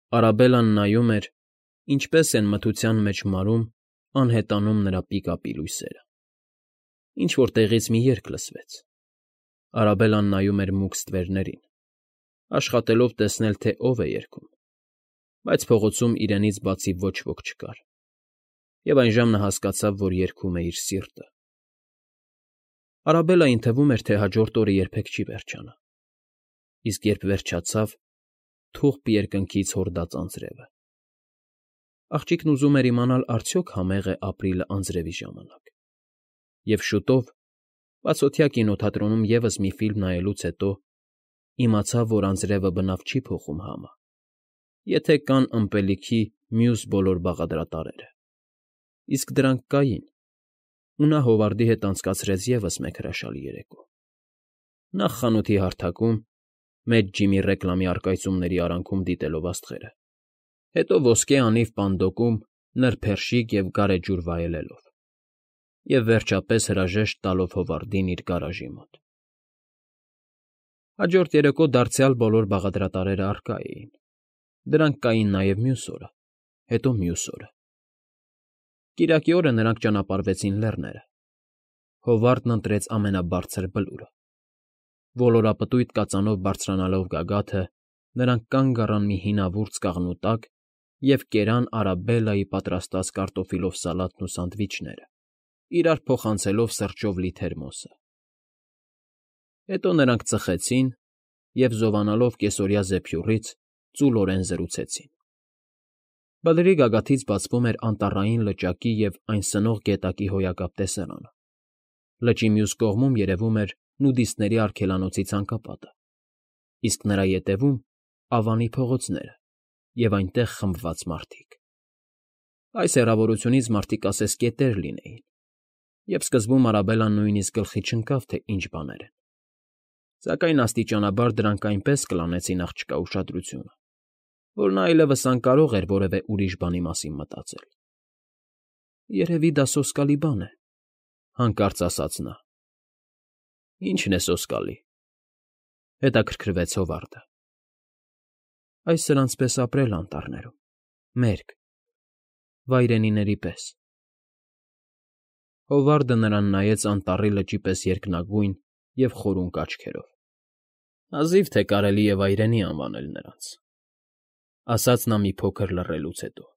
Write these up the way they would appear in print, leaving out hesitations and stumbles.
Արաբելլան նայում էր, ինչպես են մթության մեջ մարում, անհետանում նրա պիկապի լույսերը։ Ինչ֊որ տեղից մի երգ լսվեց։ Արաբելլան նայում էր մուգ ստվերներին, աշխատելով տեսնել, թե ով է երգում, բայց փողոցում իրենից բացի ոչ ոք չկար, և այժմ նա հասկացավ, որ երգում է իր սիրտը։ Արաբելլային թվում էր, թե հաջորդ օրը երբեք չի վերջանա, իսկ երբ վերջացավ, թուղթ երկնքից հորդաց անձրևը։ Աղջիկն ուզում էր իմանալ արդյոք համե՞ղ է ապրիլը անձրևի ժամանակ, և շուտով, բացօթյա կինոթատրոնում ևս մի ֆիլմ նայելուց հետո, իմացավ, որ անձրևը բնավ չի փոխում համը, եթե կան ըմպելիքի մյուս բոլոր բաղադրատարերը, իսկ դրանք կային, ու նա Հովարդի հետ անցկացրեց ևս մեկ հրաշալի երեկո։ Նախ խանութի հարթակում, մեծ ջիմի ռեկլամի առկայծումների արանքում դիտելով աստղերը, հետո ոսկե անիվ պանդոկում նրբերշիկ և գարեջուր վայելելով, և վերջապես հրաժեշտ տալով Հովարդին իր գարաժի մոտ։ Հաջորդ երեկո դարձյալ բոլոր բաղադրատարերը առկա էին, դրանք կային նաև մյուս օրը, հետո մյուս օրը։ Կիրակի օրը նրանք ճանապարհվեցին լեռները։ Հովարդն ընտրեց ամենաբարձր բլուրը։ Ոլորապտույտ կածանով բարձրանալով գագաթը, նրանք կանգ առան մի հինավուրց կաղնու տակ և կերան Արաբելլայի պատրաստած կարտոֆիլով սալատն ու սանդվիչները, իրար փոխանցելով սրճով լի թերմոսը։ Հետո նրանք ծխեցին և, զովանալով կեսօրյա զեփյուռից, ծուլորեն զրուցեցին։ Բլրի գագաթից բացվում էր Անտառային լճակի և այն սնող գետակի հոյակապ տեսարանը։ Լճի մյուս կողմում երևում էր նուդիստների արգելանոցի ցանկապատը, իսկ նրա ետևում՝ Ավանի փողոցները և այնտեղ խմբված մարդիկ։ Այս հեռավորությունից մարդիկ ասես կետեր լինեին, և սկզբում Արաբելլան նույնիսկ գլխի չընկավ, թե ինչ բաներ են, սակայն աստիճանաբար դրանք այնպես կլանեցին աղջկա ուշադրությունը, որ նա այլևս անկարող էր որևէ ուրիշ բանի մասին մտածել։ «Երևի դա սոսկալի բան է,֊ հանկարծ ասաց նա։ ֊ Ի՞նչն է սոսկալի,֊ հետաքրքրվեց Հովարդը։ ֊ Այս սրանց պես ապրել անտառներում, մերկ, վայրենիների պես։ Հովարդը նրան նայեց անտառի լճի պես երկնագույն և խորունկ աչքերով։ Հազիվ թե կարելի է վայրենի անվանել նրանց,֊ ասաց նա մի փոքր լռելուց հետո։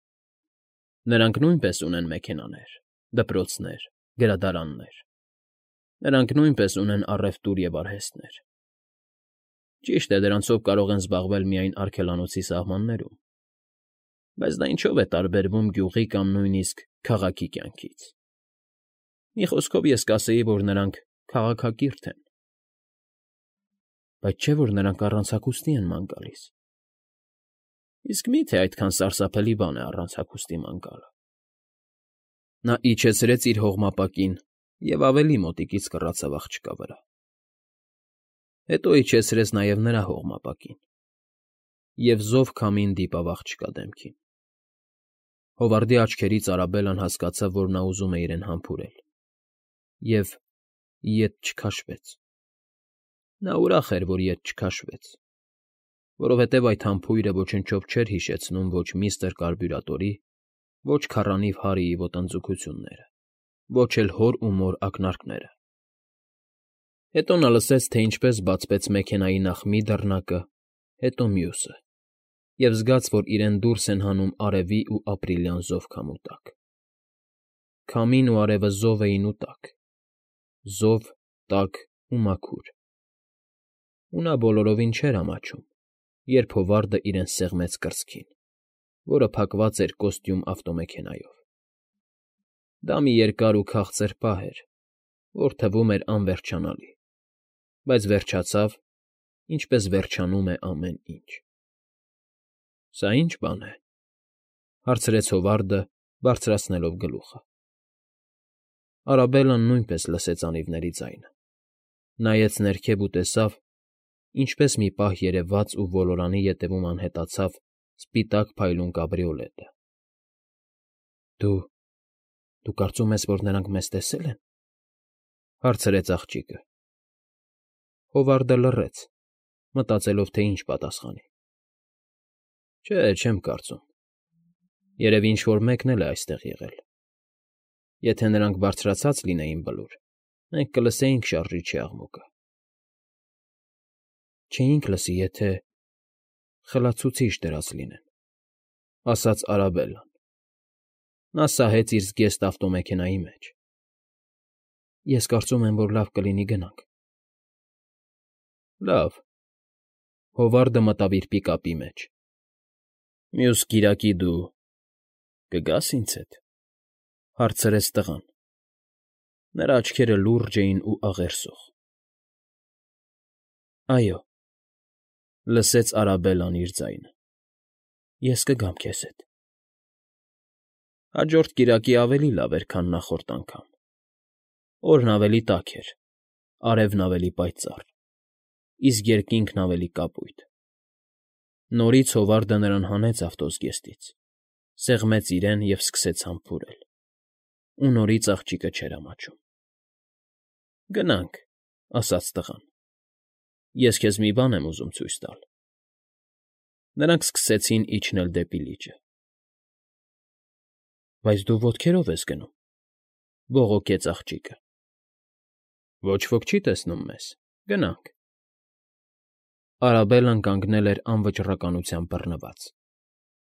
Նրանք նույնպես ունեն մեքենաներ, դպրոցներ, գրադարաններ, նրանք նույնպես ունեն առևտուր և արհեստներ։ Ճիշտ է, դրանցով կարող են զբաղվել միայն արգելանոցի սահմաններում, բայց դա ինչո՞վ է տարբերվում գյուղի կամ նույնիսկ քաղաքի կյանքից։ Մի խոսքով ես կասեի, որ նրանք քաղաքակիրթ են։ Բայց չէ՞ որ նրանք առանց հագուստի են ման գալիս։ Իսկ մի՞թե այդքան սարսափելի բան է առանց հագուստի ման գալը։ Նա իջեցրեց իր հողմապակին և ավելի մոտիկից կռացավ աղջկա վրա։ Հետո իջեցրեց նաև նրա հողմապակին և զով քամին դիպավ աղջկա դեմքին։ Հովարդի աչքերից Արաբելլան հասկացավ, որ նա ուզում է իրեն համբուրել, և ետ չքաշվեց։ Նա ուրախ էր, որ ետ չքաշվեց, որովհետև այդ համբույրը ոչնչով չէր հիշեցնում ոչ միստր Կարբյուրատորի, ոչ քառանիվ Հարիի ոտնձգությունները, ոչ էլ հոր ու մոր ակնարկները։ Հետո նա լսեց, թե ինչպես բացվեց մեքենայի նախ մի դռնակը, հետո մյուսը, և զգաց, որ իրեն դուրս են հանում արևի ու ապրիլյան զով քամու տակ։ Քամին ու արևը զով էին ու տաք, զով, տաք ու մաքուր։ Ու նա բոլորովին չէր ամաչում, երբ Հովարդը իրեն սեղմեց կրծքին, որը փակված էր կոստյում ավտոմեքենայով։ Դա մի երկար ու քաղցր պահ էր, որ թվում էր անվերջանալի, բայց վերջացավ, ինչպես վերջանում է ամեն ինչ։ «Սա ի՞նչ բան է,֊ հարցրեց Հովարդը, բարձրացնելով գլուխը։ Արաբելլան նույնպես լսեց անիվների ձայնը, նայեց ներքև ու տեսավ, ինչպես մի պահ երևաց ու ոլորանի ետևում անհետացավ սպիտակ փայլուն կաբրիոլետը։ Դու կարծում ես, որ նրանք մեզ տեսե՞լ են,֊ հարցրեց աղջիկը։ Հովարդը լռեց, մտածելով, թե ինչ պատասխանի։ Չէ, չեմ կարծում։ Երևի ինչ֊որ մեկն էլ է այստեղ եղել։ Եթե նրանք բարձրացած լինեին բլուր, մենք կլսեինք շարժիչի աղմուկը։ Չէինք լսի, եթե խլացուցիչ դրած լինեն, ասաց Արաբելլան։ Նա սահեց իր զգեստ ավտոմեքենայի մեջ։ Ես կարծում եմ, որ լավ կլինի գնանք։ Լավ։ Հովարդը մտավ իր պիկապի մեջ։ Մյուս կիրակի դու կգա՞ս ինձ հետ,֊ հարցրեց տղան։ Նրա աչքերը լուրջ էին ու աղերսող։ Այո,֊ լսեց Արաբելլան իր ձայնը,֊ ես կգամ քեզ հետ։ Հաջորդ կիրակի ավելի լավ էր, քան նախորդ անգամ։ Օրն ավելի տաք էր, արևն ավելի պայծառ, իսկ երկինքն ավելի կապույտ։ Նորից Հովարդը նրան հանեց ավտոզգեստից, սեղմեց իրեն և սկսեց համբուրել։ Ու նորից աղջիկը չէր ամաչում։ Գնանք,֊ ասաց տղան։ Ես քեզ մի բան եմ ուզում ցույց տալ։ Նրանք սկսեցին իջնել դեպի լիճը։ Բայց դու ոտքերով ես գնում,֊ բողոքեց աղջիկը։ Ոչ ոք չի տեսնում մեզ, գնանք։ Արաբելլան կանգնել էր անվճռականությամբ բռնված,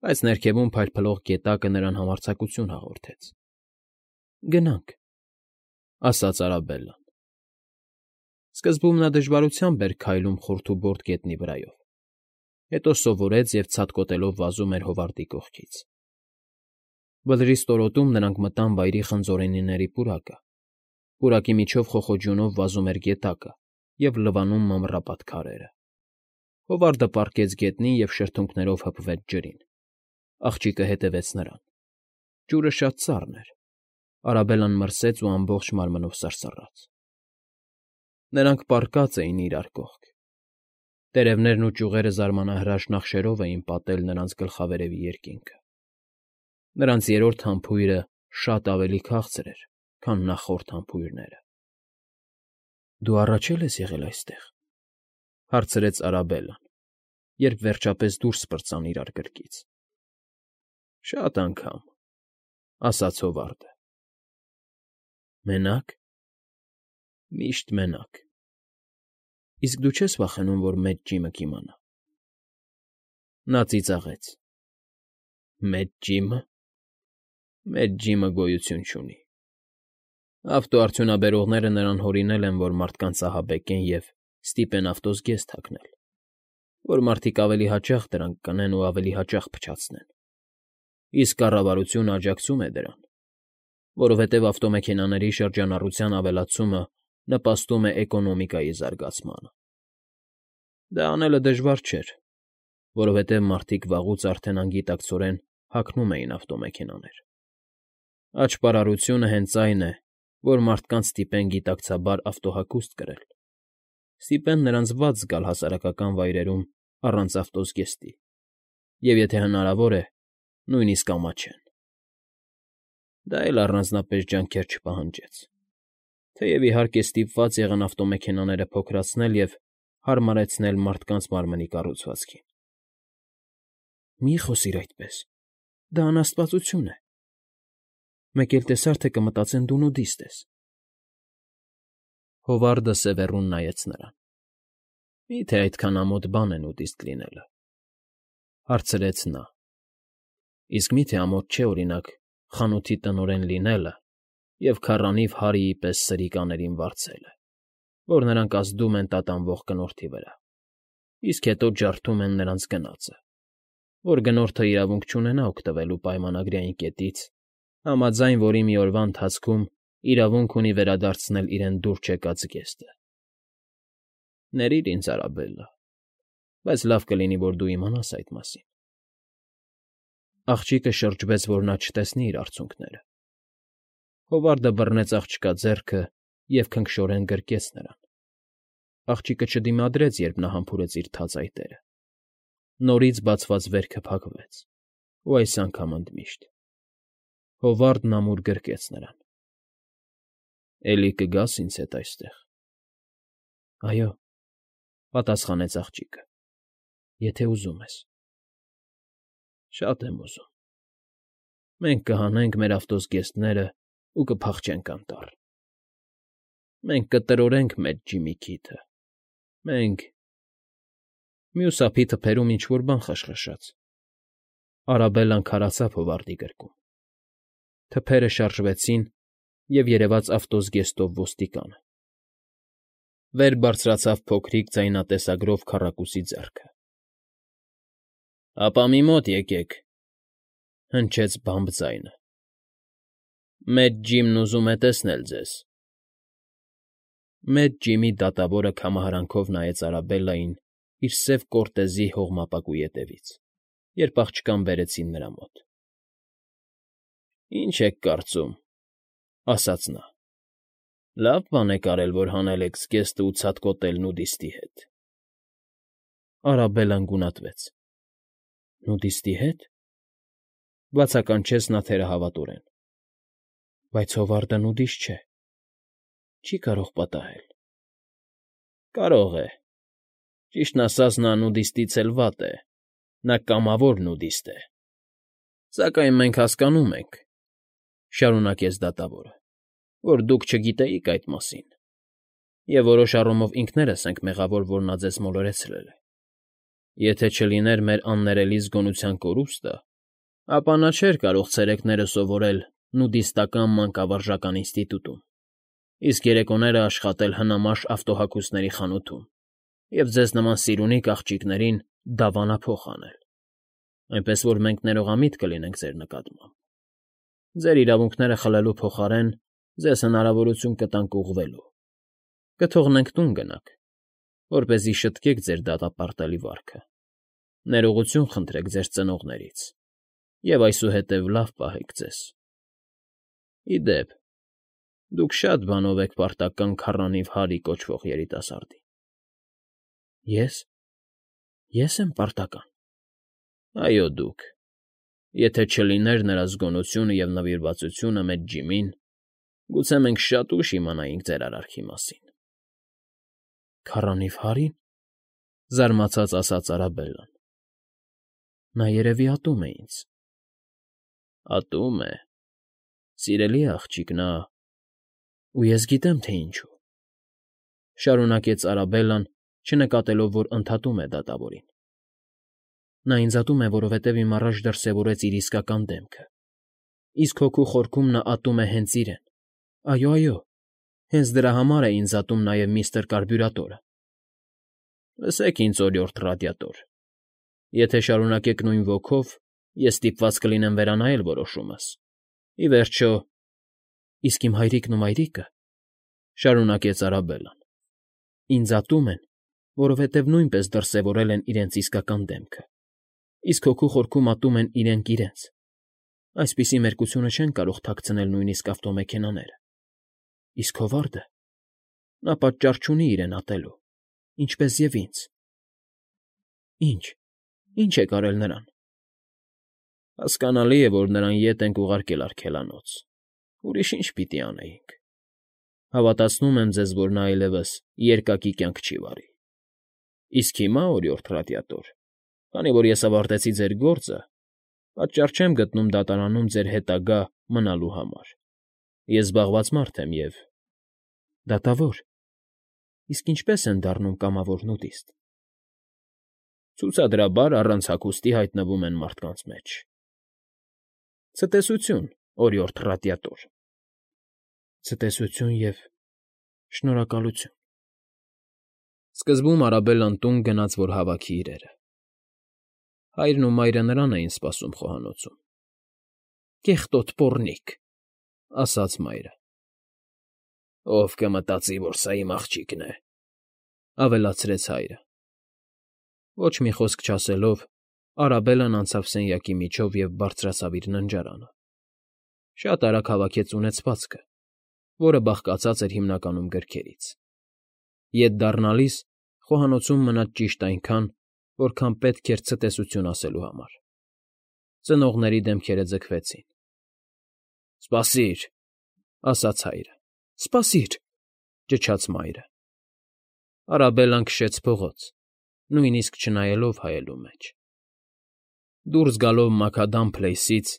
բայց ներքևում փայլփլող գետակը նրան համարձակություն հաղորդեց։ Գնանք,֊ ասաց Արաբելլան։ Սկզբում նա դժվարությամբ էր քայլում խորթուբորդ գետնի վրայով, հետո սովորեց և ցատկոտելով վազում էր Հովարդի կողքից։ Բլրի ստորոտում նրանք մտան վայրի խնձորենիների պուրակը։ Պուրակի միջով խոխոջյունով վազում էր գետակը և լվանում մամռապատ քարերը։ Հովարդը պառկեց գետնին և շրթունքներով հպվեց ջրին։ Աղջիկը հետևեց նրան։ Ջուրը շատ սառն էր։ Արաբելլան մրսեց ու ամբողջ մարմնով սրսռաց։ Նրանք պառկած էին իրար կողք։ Տերևներն ու ճյուղերը զարմանահրաշ նախշերով էին պատել նրանց գլխավերևի երկինքը։ Նրանց երրորդ համբույրը շատ ավելի քաղցր էր, քան նախորդ համբույրները։ Դու առաջ է՞լ ես եղել այստեղ,֊ հարցրեց Արաբելլան, երբ վերջապես դուրս պրծան իրար գրկից։ Շատ անգամ,֊ ասաց Հովարդը։ Մենա՞կ։ Միշտ մենակ։ Իսկ դու չես վախենում, որ մեծ ջիմը կիմանա։ Նա ծիծաղեց։ Մեծ ջի՞մը։ Մեծ ջիմը գոյություն չունի։ Ավտոարդյունաբերողները նրան հորինել են, որ մարդկանց ահաբեկեն և ստիպեն ավտոզգեստ հագնել, որ մարդիկ ավելի հաճախ դրանք կնեն ու ավելի հաճախ փչացնեն։ Իսկ կառավարությունը աջակցում է դրան, որովհետև ավտոմեքենաների շրջանառության ավելացումը նպաստում է էկոնոմիկայի զարգացմանը։ Դա անելը դժվար չէր, որովհետև մարդիկ վաղուց արդեն անգիտակցորեն հագնում էին ավտոմեքենաներ։ Աճպարարությունը հենց այն է, որ մարդկանց ստիպեն գիտակցաբար ավտոհագուստ կրել, ստիպեն նրանց վատ զգալ հասարակական վայրերում առանց ավտոզգեստի, և եթե հնարավոր է, նույնիսկ ամաչեն։ Դա էլ առանձնապես ջանքեր չպահանջեց, թեև իհարկե ստիպված եղան ավտոմեքենաները փոքրացնել և հարմարեցնել մարդկանց մարմնի կառուցվածքին։ Մի՛ խոսիր այդպես, դա անաստվածություն է։ Մեկ էլ տեսար, թե կմտածեն դու նուդիստ ես։ Հովարդը սևեռուն նայեց նրան։ Մի՞թե այդքան ամոթ բան է նուդիստ լինելը,֊ հարցրեց նա։ Իսկ մի՞թե ամոթ չէ, օրինակ, խանութի տնօրեն լինելը և քառանիվ Հարիի պես սրիկաներին վարձելը, որ նրանք ազդում են տատանվող կնորդի վրա, իսկ հետո ջարդում են նրանց գնածը, որ գնորդը իրավունք չունենա օգտվելու պայմանագրային կետից, համաձայն որի մի օրվա ընթացքում իրավունք ունի վերադարձնել իրեն դուր չեկած զգեստը։ Ներիր ինձ, Արաբելլա, բայց լավ կլինի, որ դու իմանաս այդ մասին։ Աղջիկը շրջվեց, որ նա չտեսնի իր արցունքները։ Հովարդը բռնեց աղջկա ձեռքը և քնքշորեն գրկեց նրան։ Աղջիկը չդիմադրեց, երբ նա համբուրեց իր թաց այտերը։ Նորից բացված վերքը փակվեց, ու այս անգամ ընդմիշտ։ Հովարդն ամուր գրկեց նրան։ Էլի կգա՞ս ինձ հետ այստեղ։ Այո,֊ պատասխանեց աղջիկը,֊ եթե ուզում ես։ Շատ եմ ուզում։ Մենք կհանենք մեր ավտոզգեստներն ու կփախչենք անտառ։ Մենք կտրորենք մեծ Ջիմի քիթը։ Մենք… Մյուս ափի թփերում ինչ֊որ բան խշխշաց։ Արաբելլան քարացավ հովարդի գրկում։ Թփերը շարժվեցին, և երևաց ավտոզգեստով ոստիկանը։ Վեր բարձրացավ փոքրիկ ձայնատեսագրով քառակուսի ձեռքը։ ֊ Ապա մի մոտ եկեք,֊ հնչեց բամբ ձայնը։ Մեծ Ջիմն ուզում է տեսնել ձեզ։ Մեծ Ջիմի դատավորը քամահարանքով նայեց Արաբելլային իր սև կորտեզի հողմապակու ետևից, երբ աղջկան բերեցին նրա մոտ։ ֊ Ինչ եք կարծում,֊ ասաց նա։ Լավ բան եք արել, որ հանել եք զգեստը ու ցատկոտել նուդիստի հետ։ Արաբելլան գունատվեց։ ֊ Նուդիստի հետ,֊ բացականչեց նա թերահավատորեն։ Բայց Հովարդը նուդիստ չէ, չի կարող պատահել։ ֊ Կարող է։ Ճիշտն ասած, նա նուդիստից էլ վատ է, նա կամավոր նուդիստ է։ Սակայն մենք հասկանում ենք,֊ շարունակեց դատավորը,֊ որ դուք չգիտեիք այդ մասին, և որոշ առումով ինքներս ենք մեղավոր, որ նա ձեզ մոլորեցրել է։ Եթե չլիներ մեր աններելի զգոնության կորուստը, ապա նա չէր կարող ցերեկները սովորել նուդիստական մանկավարժական ինստիտուտում, իսկ երեկոները աշխատել հնամաշ ավտոհագուստների խանութում և ձեզ նման սիրունիկ աղջիկներին դավանափոխ անել, այնպես որ մենք ներողամիտ կլինենք ձեր նկատմամբ։ Ձեր իրավունքները խլելու փոխարեն ձեզ հնարավորություն կտանք ուղղվելու, կթողնենք տուն գնաք, որպեսզի շտկեք ձեր դատապարտելի վարքը, ներողություն խնդրեք ձեր ծնողներից և այսուհետև լավ պահեք ձեզ։ Ի դեպ, դուք շատ բանով եք պարտական քառանիվ Հարի կոչվող երիտասարդին։ Ե՞ս։ Ե՞ս եմ պարտական։ Այո, դուք։ Եթե չլիներ նրա զգոնությունը և նվիրվածությունը մեծ Ջիմին, գուցե մենք շատ ուշ իմանայինք ձեր արարքի մասին։ ֊ Քառանիվ Հարի՞ն,֊ զարմացած ասաց Արաբելլան։ Նա երևի ատում է ինձ։ ֊ Ատում է… Սիրելի աղջիկ, նա… Ու ես գիտեմ, թե ինչու,֊ շարունակեց Արաբելլան, չնկատելով, որ ընդհատում է դատավորին։ Նա ինձ ատում է, որովհետև իմ առաջ դրսևորեց իր իսկական դեմքը, իսկ հոգու խորքում նա ատում է հենց իրեն։ Այո, այո, հենց դրա համար է ինձ ատում նաև միստր Կարբյուրատորը։ Լսեք ինձ, օրիորդ Ռադիատոր, եթե շարունակեք նույն ոգով, ես ստիպված կլինեմ վերանայել որոշումս։ Ի վերջո… Իսկ իմ հայրիկն ու մայրիկը,֊ շարունակեց Արաբելլան,֊ ինձ ատում են, որովհետև նույնպես դրսևորել են իրենց իսկական դեմքը, իսկ հոգու խորքում ատում են իրենք իրենց։ Այսպիսի մերկությունը չեն կարող թաքցնել նույնիսկ ավտոմեքենաները։ Իսկ Հովարդը… նա պատճառ չունի իրեն ատելու, ինչպես և ինձ։ Ինչ եք արել նրան։ Հասկանալի է, որ նրան ետ ենք ուղարկել արգելանոց, ուրիշ ինչ պիտի անեինք։ Հավատացնում եմ ձեզ, որ նա այլևս երկակի կյանք չի վարի։ Իսկ հիմա, օրիորդ Ռադիատոր, քանի որ ես ավարտեցի ձեր գործը, պատճառ չեմ գտնում դատարանում ձեր հետագա մնալու համար։ Ես զբաղված մարդ եմ և… Դատավոր… Իսկ ինչպե՞ս են դառնում կամավոր նուդիստ։ Ցուցադրաբար առանց հագուստի հայտնվում են մարդկանց մեջ։ Ցտեսություն, օրիորդ Ռադիատոր։ Ցտեսություն և… շնորհակալություն։ Սկզբում Արաբելլան տուն գնաց, որ հավաքի իրերը։ Հայրն ու մայրը նրան էին սպասում խոհանոցում։ ֊ Կեղտոտ պոռնիկ,֊ ասաց մայրը։ ֊ Ով կմտածի, որ սա իմ աղջիկն է,֊ ավելացրեց հայրը։ Ոչ մի խոսք չասելով, Արաբելլան անցավ սենյակի միջով և բարձրացավ իր ննջարանը։ Շատ արագ հավաքեց ունեցվածքը, որը բաղկացած էր հիմնականում գրքերից։ Ետ դառնալիս խոհանոցում մնաց ճիշտ այնքան, որքան պետք էր ցտեսություն ասելու համար։ Ծնողների դեմքերը ձգվեցին։ ֊ Սպասիր,֊ ասաց հայրը։ ֊ Սպասիր,֊ ճչաց մայրը։ Արաբելլան քշեց փողոց, նույնիսկ չնայելով հայելու մեջ։ Դուրս գալով Մաքադամ Փլեյսից՝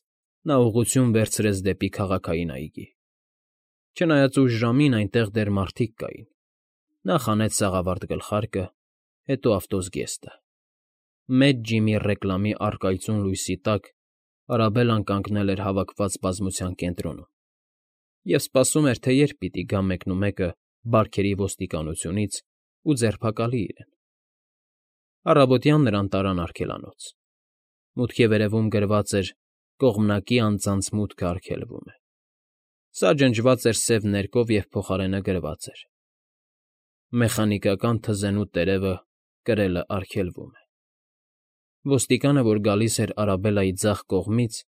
նա ուղղություն վերցրեց դեպի քաղաքային այգի։ Չնայած ուշ ժամին այնտեղ դեռ մարդիկ կային, նա խանեց սաղավարտ գլխարկը, հետո ավտոզգեստը։ Մեծ ջիմի ռեկլամի առկայծուն լույսի տակ Արաբելլան կանգնել էր հավաքված բազմության կենտրոնում և սպասում էր, թե երբ պիտի գա մեկնումեկը բարքերի ոստիկանությունից ու ձերբակալի իրեն։ Առավոտյան նրան տարան արգելանոց։ Մուտքի վերևում գրված էր «Կողմնակի անձանց մուտքը արգելվում է»։ Սա ջնջված էր սև ներկով և փոխարենը գրված էր. «Մեխանիկական թզենու տերևը կրելը արգելվում է»։ Ոստիկանը, որ գալիս էր Արաբելլայի ձախ կողմից,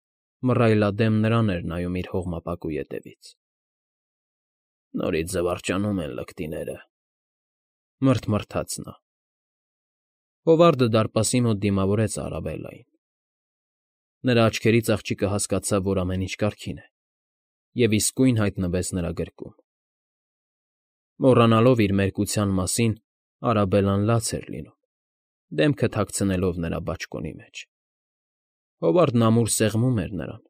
մռայլադեմ նրան էր նայում իր հողմապակու ետևից։ «Նորից զվարճանում են լկտիները», մռթմռթաց նա։ Հովարդը դարպասի մոտ դիմավորեց Արաբելլային։ Նրա աչքերից աղջիկը հասկացավ, որ ամեն ինչ կարգին է, և իսկույն հայտնվեց նրա գրկում։ Մոռանալով իր մերկության մասին՝ Արաբելլան լաց էր լինում, դեմքը թաքցնելով նրա բաճկոնի մեջ։ Հովարդն ամուր սեղմում էր նրան,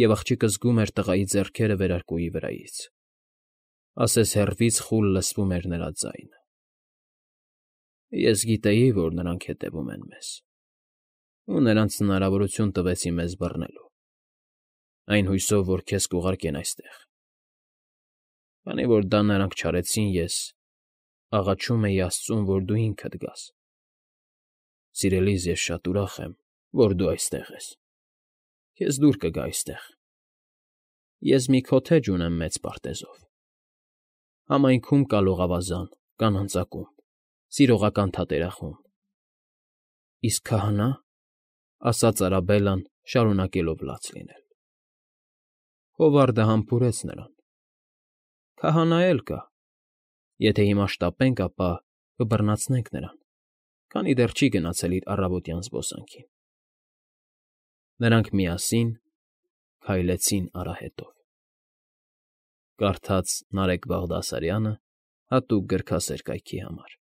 և աղջիկը զգում էր տղայի ձեռքերը վերարկուի վրայից, ասես հեռվից խուլ լսվում էր նրա ձայնը։ «Ես գիտեի, որ նրանք հետևում են մեզ, ու նրանց հնարավորություն տվեցի մեզ բռնելու, այն հույսով, որ քեզ կուղարկեն այստեղ։ Քանի որ դա նրանք չարեցին, ես աղաչում էի աստծուն, որ դու ինքդ գաս։ Սիրելիս, ես շատ ուրախ եմ, որ դու այստեղ ես։ Քեզ դուր կգա այստեղ։ Ես մի քոթեջ ունեմ մեծ պարտեզով։ Համայնքում կա լողավազան, կանանց ակումբ, սիրողական թատերախումբ։ Իսկ քահանա՞, ասաց Արաբելլան, շարունակելով լաց լինել։ Հովարդը համբուրեց նրան։ Քահանա էլ կա։ Եթե հիմա շտապենք, ապա կբռնացնենք նրան, քանի դեռ չի գնացել իր առավոտյան զբոսանքին։ Նրանք միասին քայլեցին արահետով։ Կարդաց Նարեկ Բաղդասարյանը հատուկ գրքասեր կայքի համար։